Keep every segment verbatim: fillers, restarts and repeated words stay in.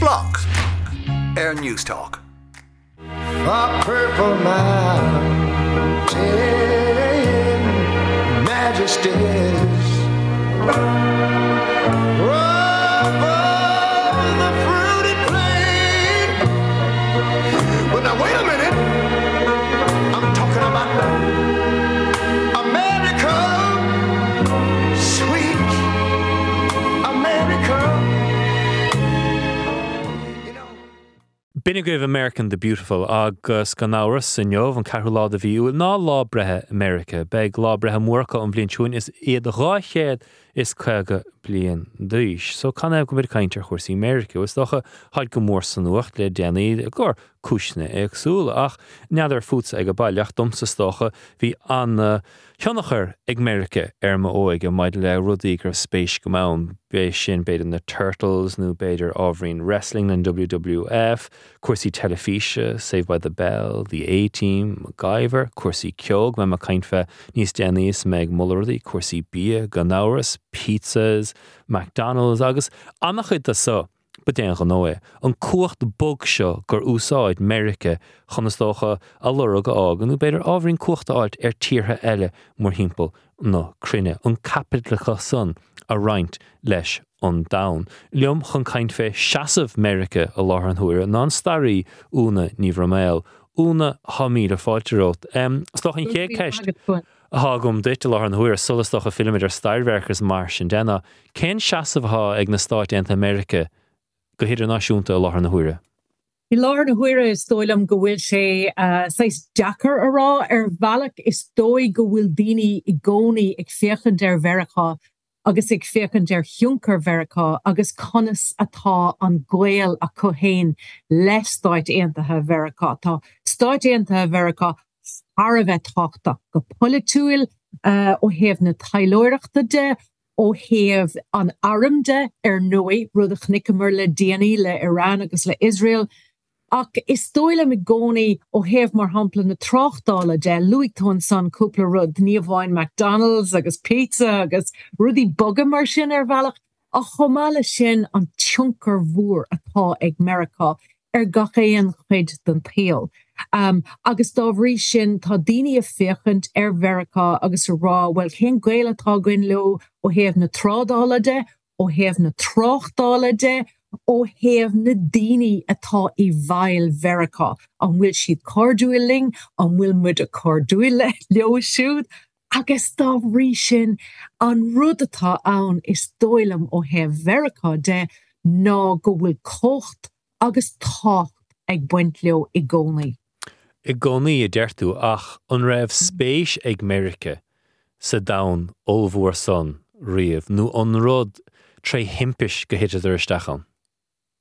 Block ar Newstalk. A purple mountain majesties Above the fruited plain. But now wait a minute, I'm talking about America, sweet America. You know. B'in agaibh American the Beautiful agus gan amhras inniu an ceathrú lá de mhí Iúil ná lá breithe Meiriceá, Beidh lá breithe Mheiriceá an bhliain seo is iad dhá chéad is caoga bliain d'aois. So canathaobh go bhfuil caint ar chúrsaí Meiriceá, is dócha táid go mór sa nuacht le déanaí gur cúiseanna éagsúla ach n'fheadar fútsa ag an baile ach domsa is dócha bhí an tionchar ag Meiriceá ar m'óige maidir le rudaí go raibh spéis agam ann b'é sin b'fhéidir na Turtles nó b'fhéidir ábhairín wrestling an WWF, cúrsaí teilifíse, Saved by the Bell, The A-Team, MacGyver, cúrsaí ceoil beidh mé ag caint faoi níos déanaí is mé ag moladh rudaí, cúrsaí bia, gan amhras, pizzas, McDonald's agus an-chuid de so. Ba d'aon ghnó é. An cumhacht bog seo gur úsáid Meiriceá chun is dócha a lorg a fhágáil nó b'fhéidir ábhairín cumhacht a fháilt ar tíortha eile mórthimpeall na cruinne, an caipitleachas san a roinnt leis an domhan. Liom chun caint fé seasamh Meiriceá i láthair an huaire ná an staraí Úna Ní Bhroiméil. Úna tá míle fáilte romhat. Um, Is dócha an chéad ceist atá agam duit i láthair an huaire sula is dócha fillimid ar stair Mheiriceá is mar sin de ná cén seasamh atá ag na Stáit Aontaithe Meiriceá go hidirnáisiúnta i láthair na huaire. I láthair na huaire is dóigh liom go bhfuil sé uh, saghas deacair a rá ar bhealach is dóigh go bhfuil daoine i gcónaí ag féachaint ar Mheiriceá agus ag féachaint ar thionchar Mheiriceá agus conas atá an gaol acu féin le Stáit Aontaithe Mheiriceá. Tá Stáit Aontaithe Mheiriceá thar a bheith tábhachtach go polaitiúil uh, ó thaobh na taidhleoireachta de, ó thaobh an airm de ar ndóigh rud a chonaiceamar le déanaí le Iran agus le Israel. Ach is dóigh liom i gcónaí ó thaobh mar shampla na tráchtála de luaigh tú ansan cúpla rud ní amháin McDonald's agus pizza agus rudaí boga mar sin ar bhealach a chomh maith leis sin an tionchar mhór atá ag Meiriceá ar gach aon chuid den tsaol. Um, agus dá bhrí sin tá daoine ag féachaint ar Mheiriceá agus a rá well cén gaol atá againn leo ó thaobh na trádála de, ó thaobh na tráchtála de, ó thaobh na daoine atá i bhfeighil Mheiriceá, an bhfuil siad cairdiúil linn, an bhfuil muid a cairdiúil leo siúd, agus dá bhrí sin an rud atá ann is dóigh liom ó thaobh Mheiriceá de ná go bhfuil cumhacht agus tábhacht ag baint leo i gcónaí. I gcónaí a deir tú ach an raibh spéis ag Meiriceá sa domhan ollmhór san riamh nó an rud tré thimpiste gur thiteadar isteach ann.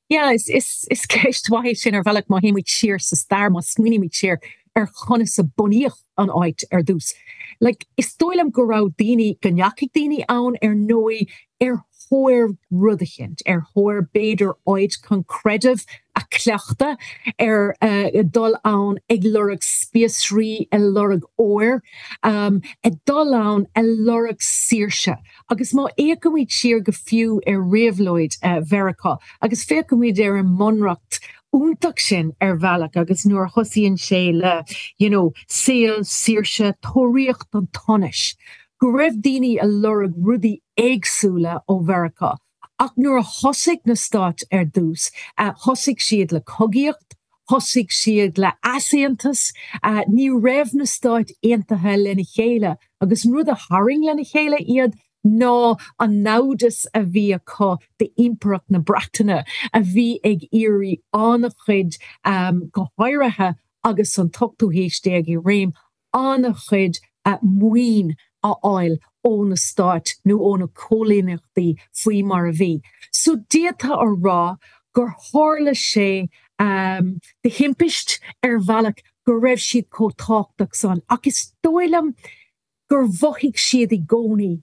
Yeah, is, is, is ceist mhaith sin ar bhealach má théimid siar sa stair má smaoinímid siar ar chonas a bunaíodh an áit ar dtús. Like, is dóigh liom go raibh daoine go ndeachaigh daoine ann ar ndóigh ar thóir rud éicint, ar thóir b'fhéidir áit chun creideamh a chleachtadh ar uh, dul ann ag lorg spíosraí ag lorg óir, um, ag dul ann ag lorg saoirse. Agus má fhéachaimid siar go fiú ar réabhlóid uh, Mheiriceá, agus féachaimid ar an mbunreacht iontach sin ar bhealach agus nuair a thosaíonn sé le you know, saol saoirse tóraíocht an tsonais. Go raibh daoine ag lorg rudaí éagsúla ó Mheiriceá. Ach nuair a thosaigh na stáit ar dtús, uh, thosaigh siad le cogaíocht, thosaigh siad le easaontas, uh, ní raibh na stáit aontaithe lena chéile, agus an rud a tharraing lena chéile iad ná an namhdas a bhí acu d'impireacht na Breataine a bhí ag iarraidh an-chuid um, go háirithe agus an t-ochtú haois déag i réim an-chuid uh, maoin a fháil ó na stáit nó ó na coilíneachtaí faoi mar a bhí. So d'fhéadfá a rá gur tharla sé um, de thimpiste ar bhealach go raibh siad chomh tábhachtach san, ach is dóigh liom gur mhothaigh siad i gcónaí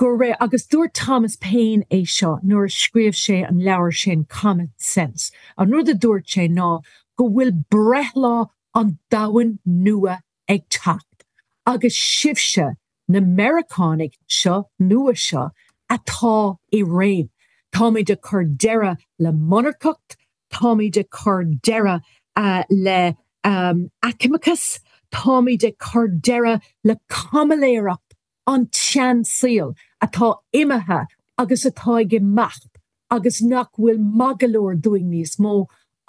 go raibh agus dúirt Thomas Paine é seo nuair a scríobh sé an leabhar sin Common Sense. An rud a dúirt sé ná go bhfuil breithlá an domhain nua ag teacht. Agus sibhse na Meiriceánaigh seo nua seo atá i réim. Táimid ag cur deireadh le monarcacht táimid ag cur deireadh uh, le um, aicmeachas, táimid ag cur deireadh le caimiléireacht an tseansaoil atá imithe agus atá ag imeacht agus nach bhfuil maith go leor dúinn níos mó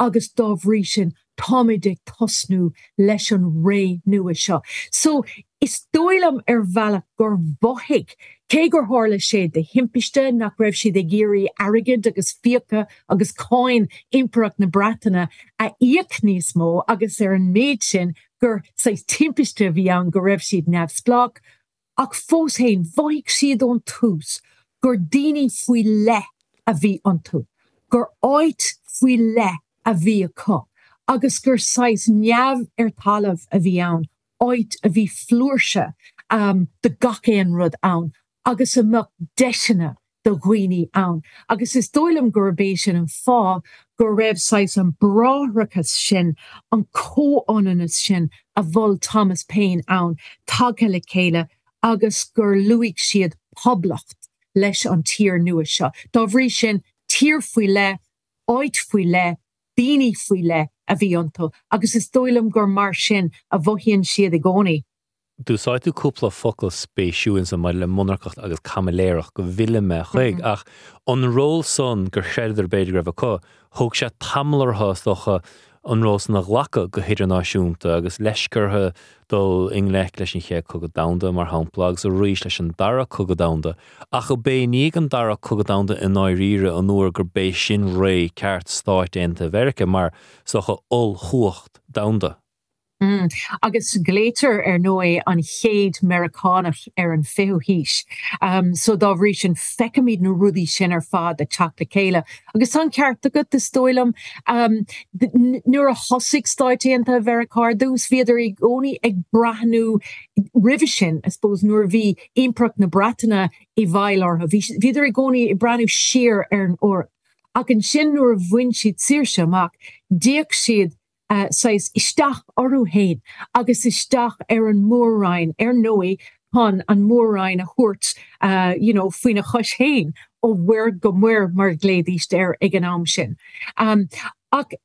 agus dá bhrí sin táimid ag tosnú leis an ré nua seo. So is dóigh liom ar bhealach gur mhothaigh cé gur tharla sé de thimpiste nach raibh siad ag iarraidh airgead agus fiacha agus cáin Impireacht na Breataine a íoc níos mó agus ar an méid sin gur saghas timpiste a bhí ann go raibh siad neamhspleách, ach fós féin mhothaigh siad ón tús gur daoine faoi leith a bhí iontu, gur áit faoi leith a bhí acu, agus gur saghas neamh ar talamh a bhí ann, áit a bhí flúirse um, de gach aon rud ann, agus a mbeadh deiseanna do dhaoine ann. Agus is dóigh liom gurb é sin an fáth go raibh saghas an bráithreachas sin, an comhionannas sin a mhol Thomas Paine ann, tagtha le chéile agus gur luaigh siad poblacht leis an tír nua seo. Dá bhrí sin tír faoi leith, áit faoi leith, daoine faoi leith a bhí iontu, agus is dóigh liom gur mar sin a mhothaíonn siad i gcónaí. D'úsáid tú cúpla focal spéisiúil ansan maidir le monarcacht agus caimiléireacht go bhfillfidh mé chuig, ach an ról san gur chreideadar b'fhéidir go raibh acu, thóg sé tamall orthu is dócha an ról san a ghlacadh go hidirnáisiúnta agus leisce orthu dul i ngleic leis an Chéad Chogadh Domhanda mar shampla agus arís leis an Dara Cogadh Domhanda, ach ab é i ndiaidh an Dara Cogadh Domhanda i ndáiríre an uair gurb é sin ré ceart Stáit Aontaithe Mheiriceá mar is dócha ollchumhacht domhanda. Mm. Agus glaoitear ar ndóigh an chéad Meiriceánach ar an fichiú haois. Um, so dá bhrí sin feicimid na rudaí sin ar fad ag teacht le chéile. Agus tá an ceart agat is dóigh liom um, nuair a thosaigh Stáit Aontaithe Mheiriceá ar dtús, bhíodar i gcónaí ag breathnú roimhe sin, I suppose nuair a bhí Impireacht na Breataine i bhfeighil orthu. Bhíodar i gcónaí ag breathnú siar ar an Eoraip. Ach ansin nuair a bhain siad saoirse amach, d'fhéach siad uh, saghas isteach orthu féin agus isteach ar an mór-roinn ar ndóigh chun an mór-roinn a thabhairt uh, you know, faoina chois féin ó mhuir go muir mar ghlaoidís air ag an am sin. Um, ach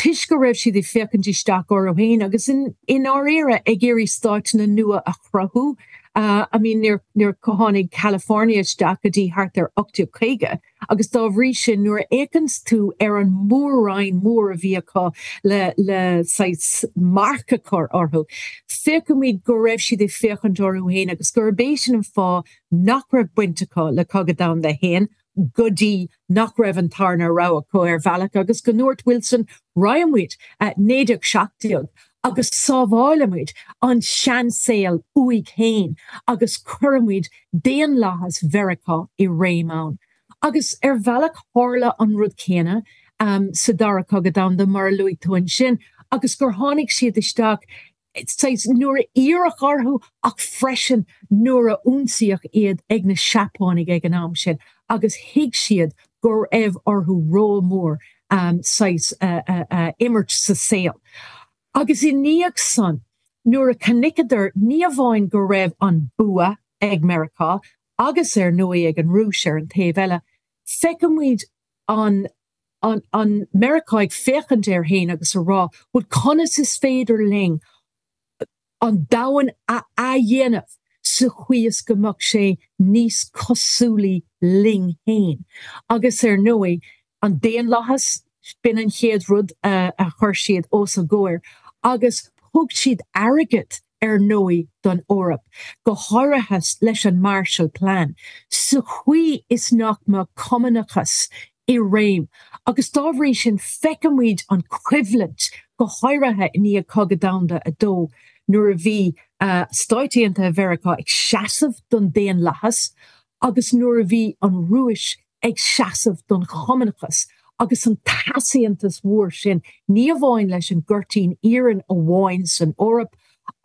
toisc go raibh siad ag féachaint isteach orthu féin agus in in áirithe ag iarraidh stáiteanna nua a chruthú. Uh, I mean níor níor tháinig California isteach go dtí thart ar ocht déag caoga, agus dá bhrí sin nuair a fhéachann tú ar an mór-roinn mór a bhí acu le le saghas marc a chur orthu. Feicimid go raibh siad ag féachaint orthu féin agus gurb é sin an fáth nach raibh baint acu le Cogadh Domhanda a haon, go dtí nach raibh an tarna rogha acu ar bhealach agus go ndúirt Wilson raghaimid naoi déag seacht déag agus sábhálfaimid an seansaol uaidh féin agus cuirfimid daonlathas Mheiriceá i réim ann. Agus ar bhealach tharla an rud céanna um, sa dara cogadh domhanda mar a luaigh tú ansin agus gur tháinig siad isteach saghas nuair a iarradh orthu ach freisin nuair a ionsaíodh iad ag na Seapánaigh ag an am sin agus thuig siad go raibh orthu ról mór um, saghas uh, uh, uh, imirt sa saol. Agus i ndiaidh san nuair a chonaiceadar ní amháin go raibh an bua ag Meiriceá agus ar ndóigh ag an Rúis ar an taobh eile, feicimid an an, an Meiriceá ag féachaint air féin agus a rá, well conas is féidir linn an domhan a athdhéanamh sa chaoi is go mbeadh sé níos cosúlaí linn féin. Agus ar ndóigh an daonlathas b'in an chéad rud a, a chuir siad os a gcomhair, agus thug siad airgead ar ndóigh don Eoraip, go háirithe leis an Marshall Plan, sa chaoi is nach mbeadh cumannachas i réim. Agus dá bhrí sin feicimid an choimhlint go háirithe i ndiaidh Cogadh Domhanda a dó nuair a bhí uh, Stáit Aontaithe Mheiriceá ag seasamh don daonlathas agus nuair a bhí an Rúis ag seasamh don chumannachas agus an t-easaontas mhór sin ní amháin leis an gcuirtín iarainn amháin san Eoraip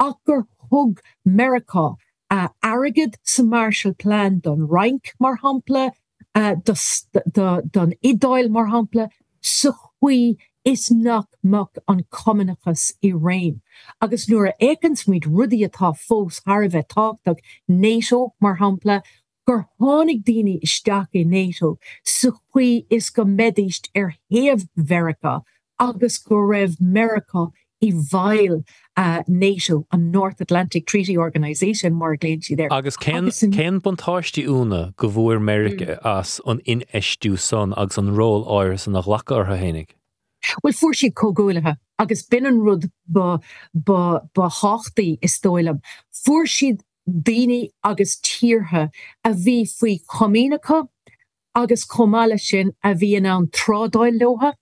ach gur thug Meiriceá uh, airgead sa Marshall Plan don Fhrainc mar shampla, uh, do, don Iodáil mar shampla, sa chaoi is nach mbeadh an cumannachas i réim. Agus nuair a fhéachann muid rudaí atá fós thar a bheith tábhachtach NATO mar shampla, gur tháinig daoine isteach i NATO sa chaoi is go mbeidís ar thaobh Mheiriceá agus go raibh Meiriceá i bhfeighil NATO, an North Atlantic Treaty Organization mar a ghlaonn siad air. Agus cén cén buntáistí Úna go bhfuair Meiriceá as an infheistiú san agus an ról áirithe san a ghlacadh orthu fhéinig? Bhuel fuair siad comhghuaillithe agus b'in an rud ba ba ba thábhachtaí is dóigh liom. Fuair siad daoine agus tíortha a bhí faoi chomaoin acu agus chomh maith leis sin a bhí in ann trádáil leo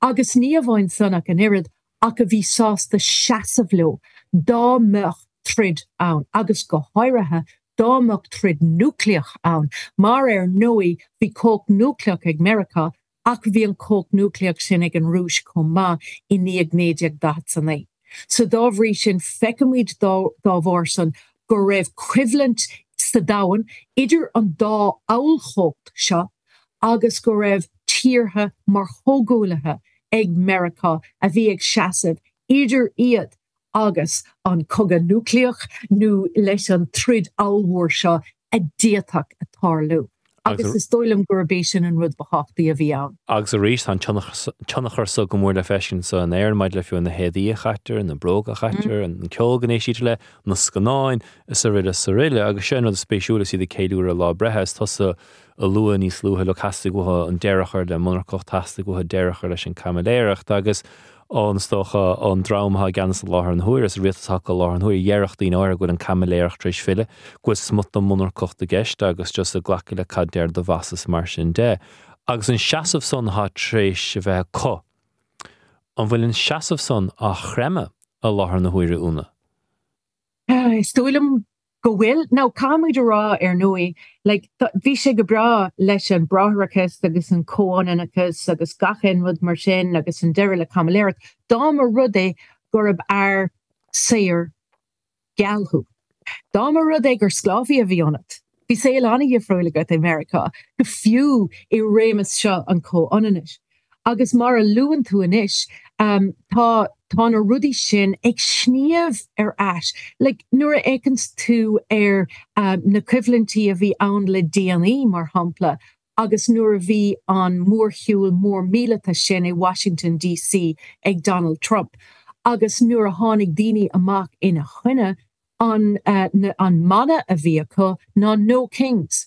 agus ní amháin san ach an oiread ach a bhí sásta seasamh leo dá mbeadh troid ann agus go háirithe dá mbeadh troid núicléach ann mar ar ndóigh bhí cumhacht núicléach ag Meiriceá ach bhí an cumhacht núicléach sin ag an Rúis chomh maith i ndiaidh naoi déag daichead a naoi. So dá bhrí sin feicimid dá dá bharr san go raibh coimhlint sa domhan idir an dá ollchumhacht seo agus go raibh tíortha mar chomhghuaillithe ag Meiriceá a bhí ag seasamh idir iad agus an cogadh núicléach nó leis an troid ollmhór seo a d'fhéadfadh a tarlú. Agus is dóigh liom gurb é sin an rud ba thábhachtaí a bhí ann. Agus arís tá an tionchar so go mór le feiscint anso in Éirinn maidir le fiú na héadaí a chaitear, na bróga a chaitear, an ceol go n-éistítear le, na scannáin is araile is araile. Agus sin an rud is spéisiúla is iad ag ceiliúradh lá breithe is tusa a luaigh níos luaithe le theastaigh uathu an deireadh a chur le monarcacht, theastaigh uathu deireadh a chur leis an caimiléireacht agus an is dócha an dream atá i gceannas i láthair na huaire, is rialtas atá i láthair na huaire, déarfadh daoine áirithe go bhfuil an caimiléireacht tar éis filleadh, go bhfuil smut den monarcacht i gceist agus just ag glacadh le cad deir do bhoss is mar sin de. Agus an seasamh san atá tar éis a bheith acu, an bhfuil an seasamh san á chreimeadh i láthair na huaire, Úna? Is dóigh liom go bhfuil. Now caithfimid a rá ar ndóigh, like, bhí sé go breá leis an bráithreachas agus an comhionannachas agus gach aon rud mar sin agus an deireadh le caimiléireacht, dá mba rud é gurb fhear saor geal thú. Dá mba rud é gur sclábhaí a bhí ionat. Bhí saol an-dhifriúil agat i Meiriceá, go fiú i réimeas seo an chomhionannais. Agus mar a luann tú anois, tá tá na rudaí sin ag sníomh ar ais. Like, nuair a fhéachanns tú ar na coimhlintí a bhí ann le déanaí, mar shampla, agus nuair a bhí an mórshiúl mór míleata sin i Washington DC ag Donald Trump, agus nuair a tháinig daoine amach ina choinne, an an mana a bhí acu ná 'No Kings'.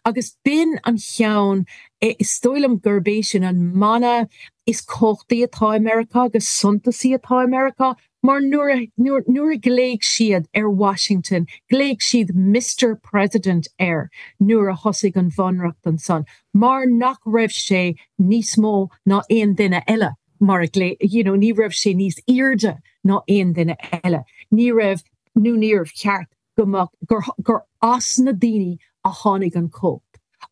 Agus b'in an cheann, is dóigh liom gurb é sin an mana is cumhachtaí atá i Meiriceá agus suntasaí atá i Meiriceá, mar nuair a nuair a ghlaoigh siad ar Washington, ghlaoigh siad Mister President air nuair a thosaigh an bhunreacht ansan, mar nach raibh sé níos mó ná aon duine eile, mar a ghlaoigh, you know, ní raibh sé níos airde ná aon duine eile, ní raibh, nó níorbh cheart go mbeadh, gur, gur as na daoine a tháinig an chumhacht.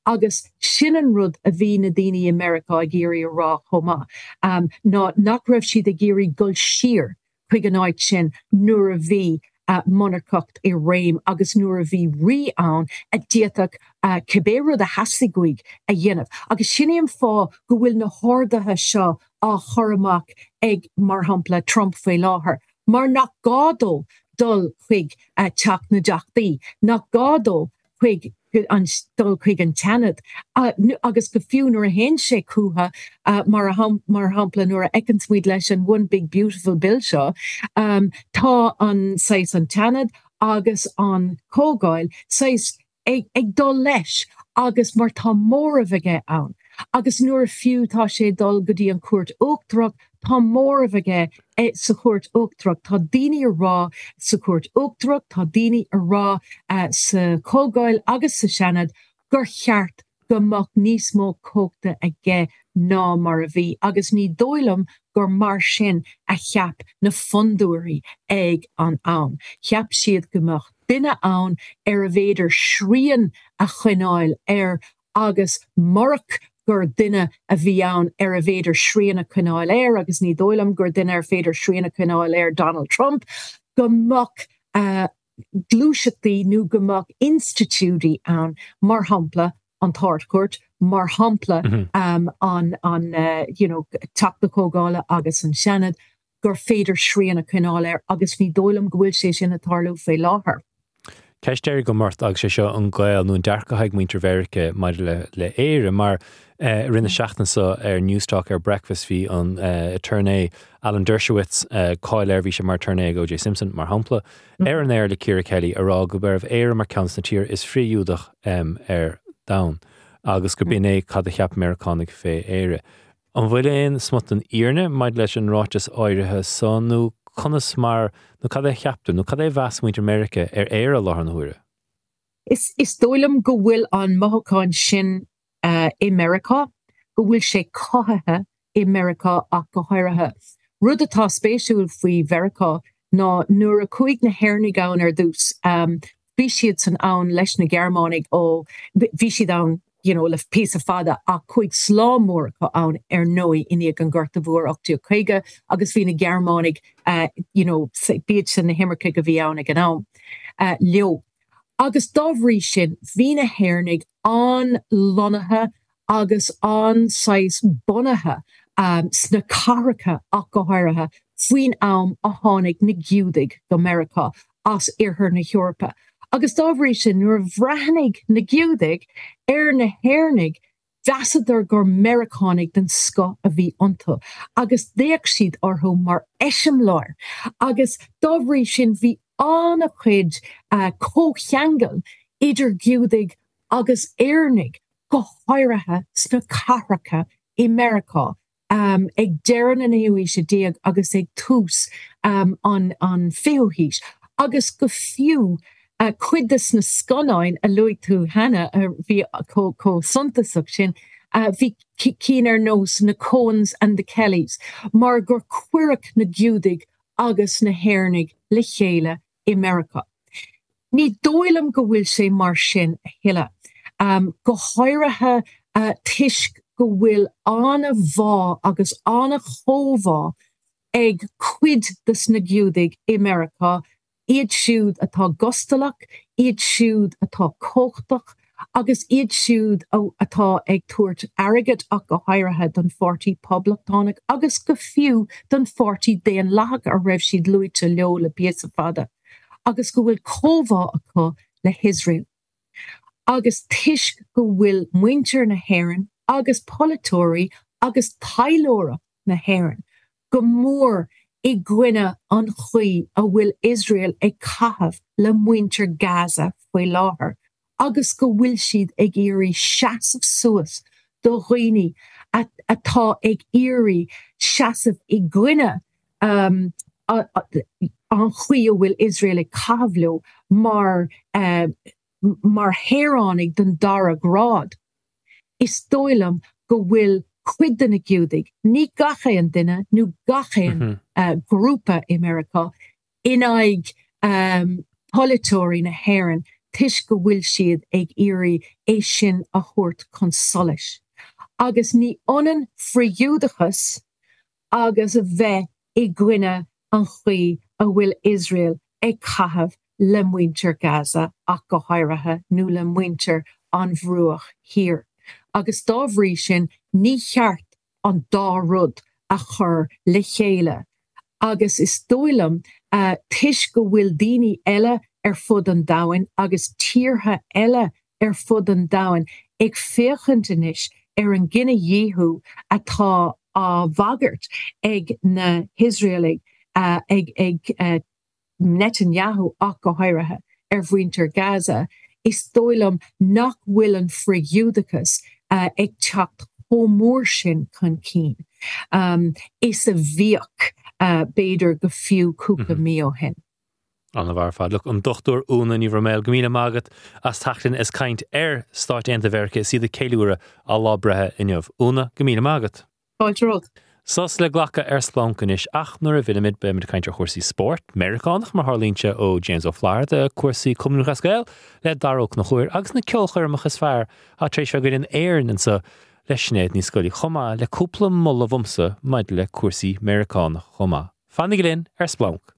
Agus sin an rud a bhí na daoine i Meiriceá ag iarraidh a rá chomh maith, ná nach raibh siad ag iarraidh dul siar chuig an áit sin nuair a bhí monarcacht i réim agus nuair a bhí rí ann a d'fhéadfadh cibé rud a theastaigh uaidh a dhéanamh. Agus sin é an fáth go bhfuil na horduithe seo á chur amach ag, mar shampla, Trump faoi láthair, mar nach gá dó dul chuig Teach na dTeachtaí, nach gá dó chuig an dul chuig an tSeanad agus go fiú nuair a théann sé chucu, mar mar shampla nuair a fheiceanns muid leis an One Big Beautiful Bill seo, tá an saghas an tSeanad agus an Chomhdháil saghas ag dul leis agus mar tá móramh aige ann agus nuair a fiú tá sé ag dul go dtí an Chúirt Uachtarach, tá móramh aige sa Chúirt Uachtarach, tá daoine a rá sa Chúirt Uachtarach, tá daoine a rá sa Chomhdháil agus sa Seanad gur cheart go mbeadh níos mó cumhachta aige ná mar a bhí agus ní dóigh liom gur mar sin a cheap na fondúirí ag an am. Cheap siad go mbeadh duine ann arbh fhéidir srian a choinneáil air agus murach gur duine a bhí ann arbh fhéidir srian a choinneáil air, agus ní dóigh liom gur duine ar féidir srian a choinneáil air Donald Trump, go mbeadh gluaiseachtaí nó go mbeadh institiúidí ann, mar shampla an tArd-Chúirt, mar shampla an an you know Teach na Comhdhála agus an Seanad, gur féidir srian a choinneáil air agus ní dóigh liom go bhfuil sé sin ag tarlú faoi láthair. Ceist deiridh agam ort agus sé seo an gaol nó an dearcadh ag muintir Mheiriceá maidir le le Éire mar eh, rinne seachtain seo ar Newstalk ar Breakfast bhí an eh, attorney Alan Dershowitz eh, cáil air bhí sé mar attorney ag O.J. Simpson mar shampla ar an air le Ciara Kelly a rá go raibh Éire mar ceann de na tíortha is frith-Ghiúdaí um, ar domhan agus go b'in é cad a cheap Meiriceánaigh fé Éire. An bhfuil aon smut den fhírinne maidir leis an ráiteas áirithe so nó conas mar nó cad é cheaptar nó cad é mheas muintir Meiriceá ar Éire láthair na huaire. Is, is dóigh liom go bhfuil an mothúchán sin uh, i Meiriceá, go bhfuil sé cothaithe i Meiriceá ach go háirithe. Rud atá spéisiúil faoi Mheiriceá ná nuair a chuaigh na hÉireannaigh ann ar dtús, um, bhí siad san ann leis na Gearmánaigh ó bhí siad ann you know, le píosa fada ach chuaigh slám mór acu ann ar ndóigh i ndiaidh an Ghorta Mhór ocht déag caoga agus bhí na Gearmánaigh uh, you know, b'iad sin na himircigh a bhí ann ag an am uh, leo. Agus dá bhrí sin bhí na hÉireannaigh an-lonnaithe agus an-saghas bunaithe um, sna cathracha ach go háirithe faoin am a tháinig na Giúdaigh go Meiriceá as iarthar na hEorpa. Agus dá bhrí sin nuair a bhreathnaigh na Giúdaigh ar na hÉireannaigh mheasadar gur Meiriceánaigh den scoth a bhí iontu, agus d'fhéach siad orthu mar eiseamláir. Agus dá bhrí sin bhí an-chuid uh, comhcheangal idir Giúdaigh agus Éireannaigh go háirithe sna cathracha i Meiriceá. Um, ag deireadh na naoú haoise déag agus ag tús um, an, an fichiú haois, agus go fiú uh, cuid de na scannáin a luaigh tú cheana a bhí chomh suntasach sin, uh, bhí cinn ar nós na Coens and the Kellys, mar gur cuireadh na Giúdaigh agus na hÉireannaigh le chéile i Meiriceá. Ní dóigh liom go bhfuil sé mar sin a thuilleadh. Um, go háirithe uh, toisc go bhfuil an-bhá agus an-chomhbhá ag cuid des na Giúdaigh i Meiriceá, iad siúd atá gustalach, iad siúd atá cumhachtach, agus iad siúd atá ag tabhairt airgead ach go háirithe don pháirtí poblachtánach agus go fiú don pháirtí daonlathach a raibh siad luaite leo le píosa fada, agus go bhfuil comhbhá acu le hIosrael. Agus toisc go bhfuil muintir na hÉireann agus polaiteoirí agus taidhleoireacht na hÉireann, go mór i gcoinne an chaoi a bhfuil Iosrael ag caitheamh le muintir Gaza faoi láthair, agus go bhfuil siad ag iarraidh seasamh suas do dhaoine atá ag iarraidh seasamh i gcoinne um, an chaoi a bhfuil Iosrael ag caitheamh leo mar uh, mar shaoránaigh den dara grád. Is dóigh liom go bhfuil cuid de na Giúdaigh, ní gach aon duine nó gach aon mm -hmm. uh, grúpa i Meiriceá in aghaidh um, polaiteoirí na hÉireann toisc go bhfuil siad ag iarraidh é sin a thabhairt chun solais. Agus ní ionann frith-Ghiúdachas agus a bheith i gcoinne an chaoi a bhfuil Iosrael ag caitheamh le muintir Gaza ach go háirithe nó le muintir an Bhruach Thiar. Agus dá bhrí sin ní cheart an dá rud a chur le chéile. Agus is dóigh liom uh, toisc go bhfuil daoine eile ar fud an domhain agus tíortha eile ar fud an domhain ag féachaint anois ar an gcinedhíothú atá á bhagairt ag na hIosraelaigh uh, ag ag uh, Netanyahu ach go háirithe ar mhuintir Gaza, is dóigh liom nach bhfuil an frith-Ghiúdachas uh, ag teacht chomh mór sin chun cinn. Um, is a bhíodh uh, b'fhéidir go fiú cúpla mm -hmm. mí ó shin. An-mhaith ar fad Look an Dochtúir Úna Ní Bhroiméil go míle maith agat as teacht linn is caint ar Stáit Aontaithe Mheiriceá is iad ag ceiliúradh a lá breithe inniu. Úna go míle maith agat. Fáilte romhat. Sos le glacadh ar Splanc anois ach nuair a bhímid beimid ag caint ar chúrsaí spóirt, Meiriceánach mar tharlaíonn sé ó James Ó Flatharta cúrsaí Cumann Lúthchleas Gael le Dara Ó Conchúir agus na ceolchoirmeacha is fearr atá tar éis bheith againn in Éirinn anseo le Sinéad Ní Scolaí chomh maith le cúpla moladh uaimse maidir le cúrsaí Meiriceánach chomh maith. Fanaigí linn ar Splanc.